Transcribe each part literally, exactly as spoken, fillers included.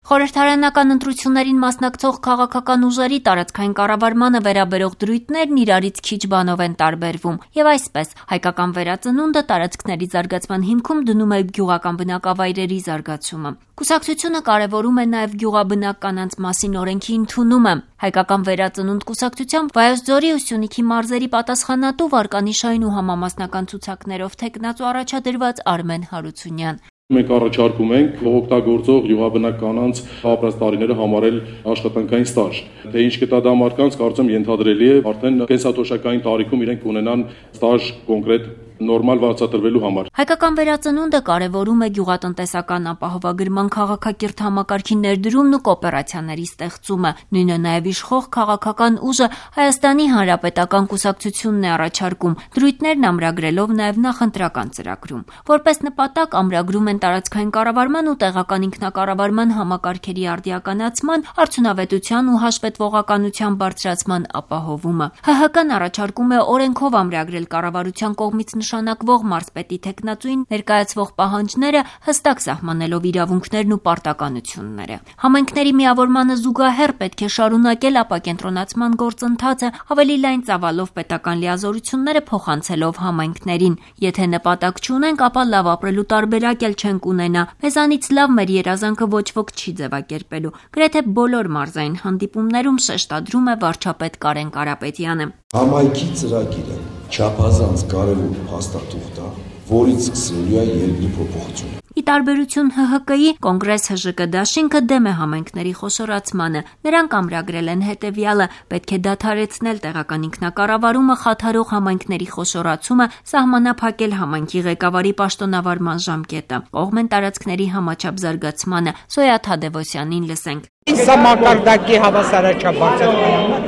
Խորհրդարանական ընտրություններին մասնակցող քաղաքական ուժերի տարածքային կառավարմանը վերաբերող դրույթներն իրարից քիչ բանով են տարբերվում, եւ այսպես հայկական վերածնունդը տարածքների զարգացման հիմքում դնում է գյուղական բնակավայրերի զարգացումը։ Կուսակցությունը կարևորում է նաև գյուղաբնակ կանանց մասին օրենքի ընդունումը։ Հայկական վերածնունդ կուսակցությամբ Վայոց ձորի ու Սյունիքի մարզերի պատասխանատու վարկանիշային ու համամասնական ցուցակներով թեկնածու առաջադրված Արմեն Հարությունյան։ Մենք առաջարկում ենք օգտագործող գյուղաբնակ կանանց ապրած տարիները համարել աշխատանքային ստաժ։ Թե ինչ կտա դա մարդկանց, կարծում ենթադրելի է արդեն կենսաթոշակային տարիքում իրենք ունենան ստաժ կոնկրետ նորմալ վարձատրվելու համար։ Հայկական վերածնունդը կարևորում է գյուղատնտեսական ապահովագրման քաղաքակիրթ համակարգի ներդրումն ու կոոպերացիաների ստեղծումը։ Նույնը նաև իշխող քաղաքական ուժը Հայաստանի Հանրապետական կուսակցությունն է առաջարկում, դրույթներն ամրագրելով նաև նախընտրական ծրագրում։ Որպես նպատակ ամրագրում են տարածքային կառավարման ու տեղական ինքնակառավարման համակարգերի արդիականացման, արդյունավետության ու հաշվետվողականության բարձրացման ապահովումը։ ՀՀԿ-ն առաջարկում է օրենքով ամրագրել կառավարության կողմից նշանակվող մարզպետի թեկնածուին ներկայացվող պահանջները, հստակ սահմանելով իրավունքներն ու պարտականությունները։ Համայնքների միավորմանը զուգահեռ պետք է շարունակել ապակենտրոնացման գործընթացը, ավելի լայն ծավալով պետական լիազորությունները փոխանցելով համայնքներին։ Եթե նպատակ չունենք, ապա լավ ապրելու տարբերակ էլ չենք ունենա։ Մեզանից լավ մեր երազանքը ոչ ոք չի ձևակերպելու։ Գրեթե բոլոր մարզային հանդիպումներում շեշտադրում է վարչապետ Կարեն Կարապետյանը։ Համայնքի ծրագիրը չափազանց կարևոր փաստաթուղթ է, որից սկսելու է երկրի փոփոխությունը։ Ի տարբերություն ՀՀԿ-ի, Կոնգրես ՀԺԿ դաշինքը դեմ է համայնքների խոշորացմանը։ Նրանք ամրագրել են հետևյալը. պետք է դադարեցնել տեղական ինքնակառավարումը խաթարող համայնքների խոշորացումը, սահմանափակել համայնքի ղեկավարի պաշտոնավարման ժամկետը։ Կողմ են տարածքների համաչափ զարգացմանը։ Սոյա Թադևոսյանին լսենք։ Սա մակարդակի հավասարաչափ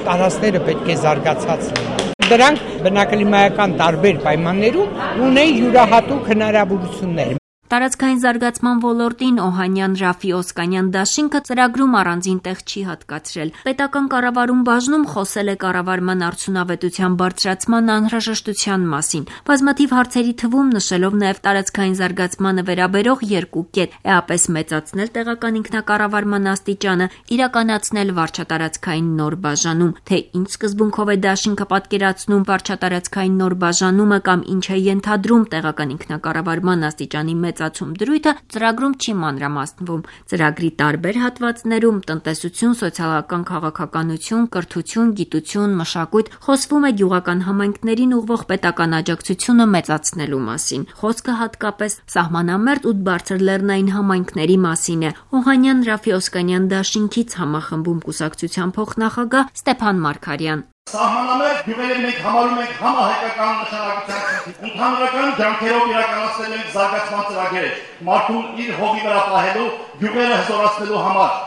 տարածքները պետք է զարգացած լինեն։ Դրանք բնակլիմայական տարբեր պայմաններում ունեն յուրահատուկ հնարավորություններ։ Տարածքային զարգացման ոլորտին Օհանյան Ռաֆի Օսկանյան դաշինքը ծրագրում առանձին տեղ չի հատկացրել։ Պետական կառավարում բաժնում խոսել է կառավարման արդյունավետության բարձրացման անհրաժեշտության մասին։ Բազմաթիվ հարցերի թվում նշելով նաև տարածքային զարգացմանը վերաբերող երկու կետ՝ էապես մեծացնել տեղական ինքնակառավարման աստիճանը, իրականացնել վարչատարածքային նոր բաժանում։ Թե ինչ սկզբունքով է դաշինքը պատկերացնում վարչատարածքային նոր բաժանումը կամ ինչ է ենթադրում տեղական ինքնակառավարման աստիճանի մեծ դրույթը ծրագրում չի մանրամասնվում։ Ծրագրի տարբեր հատվածներում տնտեսություն, սոցիալական քաղաքականություն, կրթություն, գիտություն, մշակույթ խոսվում է գյուղական համայնքներին ուղղվող պետական աջակցությունը մեծացնելու մասին։ Խոսքը հատկապես սահմանամերձ ու բարձր լեռնային համայնքների մասին է։ Օհանյան Ռաֆի Օսկանյան դաշինքից համախմբում կուսակցության փոխնախագահ Ստեփան Մարգարյան։ Սահմանամերձ գյուղերը մենք համարում ենք համահայկական նշանակության ընդհանրական ջանքերով իրականացնել ենք զարգացման ծրագրեր, մարդուն իր հողի վրա պահելու, գյուղերը հզորացնելու համար։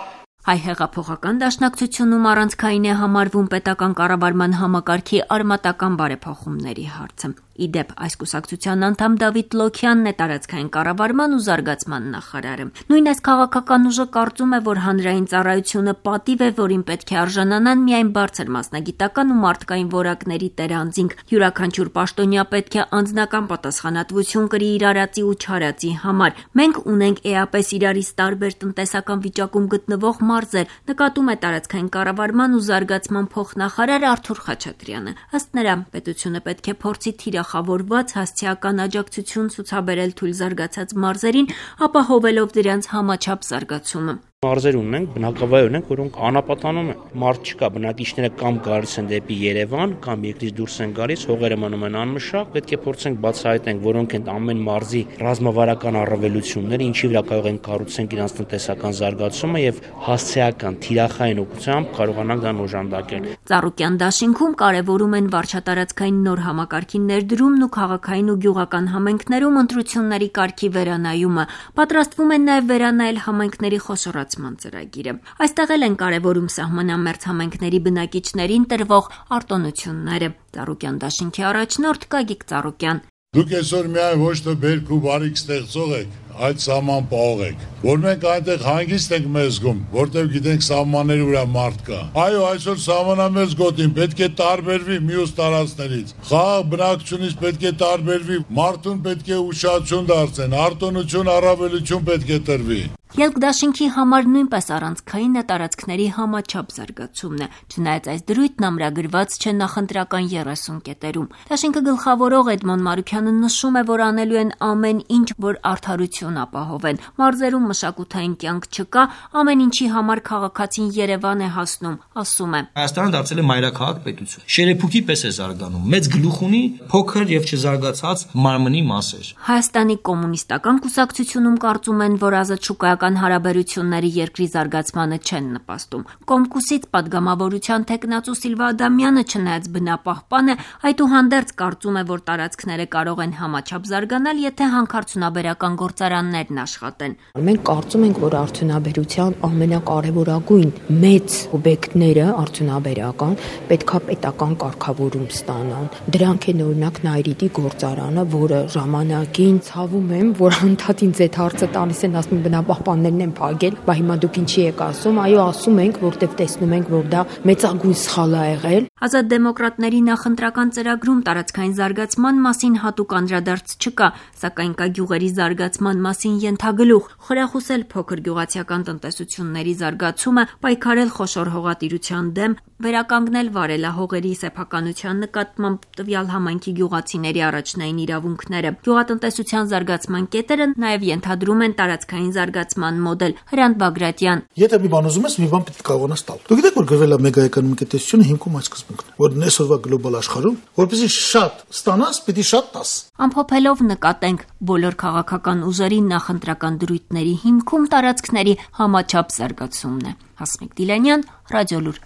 Հայ հեղափոխական դաշնակցությունում առանցքային է համարվում պետական կառավարման համակարգի արմատական բարեփոխումների հարցը։ Ի դեպ, այս կուսակցության անդամ Դավիթ Լոքյանն է տարածքային կառավարման ու զարգացման նախարարը։ Նույն այս քաղաքական ուժը կարծում է, որ հանրային ծառայությունը պատիվ է, որին պետք է արժանանան միայն բարձր մասնագիտական ու մարդկային որակների տերանձինք։ Յուրաքանչյուր պաշտոնյա պետք է անձնական պատասխանատվություն կրի իր արածի ու չարածի համար։ Մենք ունենք էապես իրարից տարբեր տնտեսական վիճակում գտնվող մարզեր, նկատում է տարածքային կառավարման ու զարգացման փոխնախարար Արթուր Խաչատրյանը։ Ըստ նրա, պետությունը պետք է փորձի թիրախավորված հասցեական աջակցություն ցուցաբերել թույլ զարգացած մարզերին, ապահովելով դրանց համաչափ զարգացումը։ Մարզեր ունենք, բնակավայր ունենք, որոնք անապատանում են։ Մարդ չկա, բնակիչները կամ գալիս են դեպի Երևան, կամ երկրից դուրս են գալիս, հողերը մնում են անմշակ, պետք է փորձենք բացահայտենք, որոնք են ամեն մարզի ռազմավարական առավելությունները, ինչի վրա կարող են կառուցենք իրենց տնտեսական զարգացումը եւ հասցեական թիրախային օգնությամբ կարողանանք դա օժանդակել։ Ծառուկյան դաշինքում կարևորում են վարչատարածքային նոր համակարգի ներդրումն ու քաղաքային ու գյուղական համայնքներում ընտրությունների կարգի վերանայումը։ Պատրաստվում են նաև վերանայել համայնքների խոշորացման ծրագիրը։ Այստեղ էլ են կարևորում սահմանամերձ համայնքների բնակիչներին տրվող արտոնությունները։ Ծառուկյան դաշինքի առաջնորդ Գագիկ Ծառուկյան։ Դուք այսօր միայն ոչ թե բերք ու բարիք ստեղծող եք, այլ սահման պահող եք։ որ մենք այնտեղ հանգիստ ենք մեզ զգում, որտեղ գիտենք սահմանների վրա մարդ կա։ Այո, այսօր սահմանամերձ գոտին պետք է տարբերվի մյուս տարածքներից։ Խաղաղ բնակչությունից պետք է տարբերվի, մարդուն պետք է ուշադրություն դարձեն, արտոնություն, առավելություն պետք է տրվի։ Ելք դաշինքի համար նույնպես առանցքային է տարածքների համաչափ զարգացումն է, չնայած այս դրույթն ամրագրված չէ նախընտրական երեսուն կետերում։ Դաշինքը գլխավորող Էդմոն Մարուքյանը նշում է, որ անելու են ամեն ինչ, որ արդարություն ապահովեն։ Մարզերում մշակութային կյանք չկա, ամեն ինչի համար քաղաքացին Երևան է հասնում, ասում է։ Հայաստանը դարձել է մայրաքաղաք պետություն։ Շերեփուկի պես է զարգանում, մեծ գլուխ ունի, փոքր եւ չզարգացած մարմնի մասեր։ Հայաստանի կոմունիստական կուսակցությունում կարծում են, որ ազատ շուկայական հարաբերությունների երկրի զարգացմանը չեն նպաստում։ Կոմկուսից падգամավորության թեկնածու Սիլվա Ադամյանը չնայած բնապահպան է, այդուհանդերձ կարծում է, որ տարածքները կարող են համաչափ զարգանալ, եթե հանքարդյունաբերական գործարաններն աշխատեն։ Մենք կարծում ենք, որ արդյունաբերության ամենակարևորագույն մեծ օբյեկտները արդյունաբերական պետքա պետական կարգավորում ստանան։ Դրանք են օրինակ Նայրիտի գործարանը, որը ժամանակին ցավում եմ, որ անդադ ինձ այդ հարցը տալիս են, ասում բնապահպաններն են փակել, բա հիմա դուք ինչի եք ասում, այո, ասում ենք, որտեվ տեսնում ենք, որ դա մեծագույն սխալ է եղել։ Ազատ դեմոկրատների նախընտրական ծրագրում տարածքային զարգացման մասին հատուկ անդրադարձ չկա, սակայն կա գյուղերի զարգացման մասին ենթագլուխ՝ խրախուսել փոքր գյուղացիական տնտեսությունների զարգացումը, պայքարել խոշոր հողատիրության դեմ, վերականգնել վարելահողերի սեփականության նկատմամբ տվյալ համայնքի գյուղացիների առաջնային իրավունքները։ Գյուղատնտեսության զարգացման կետերը նաև ենթադրում են տարածքային զարգացման մոդել։ Հրանտ Բագրատյան։ Եթե մի բան ուզում ես, մի բան պետք է կարողանաս տալ։ Դուք գիտեք, որ գրվել է մեգաէկոնոմիկ տնտեսությունը հիմքում այս սկզբունքն, որ այսօրվա գլոբալ աշխարհում, որպեսզի շատ ստանաս, պիտի շատ տաս։ Ամփոփելով նկատենք, բոլոր քաղաքական ուժերի նախընտրական դրույթների հիմքում տարածքների համաչափ զարգացումն է։ Հասմիկ Դիլանյան, Ռադիոլուր։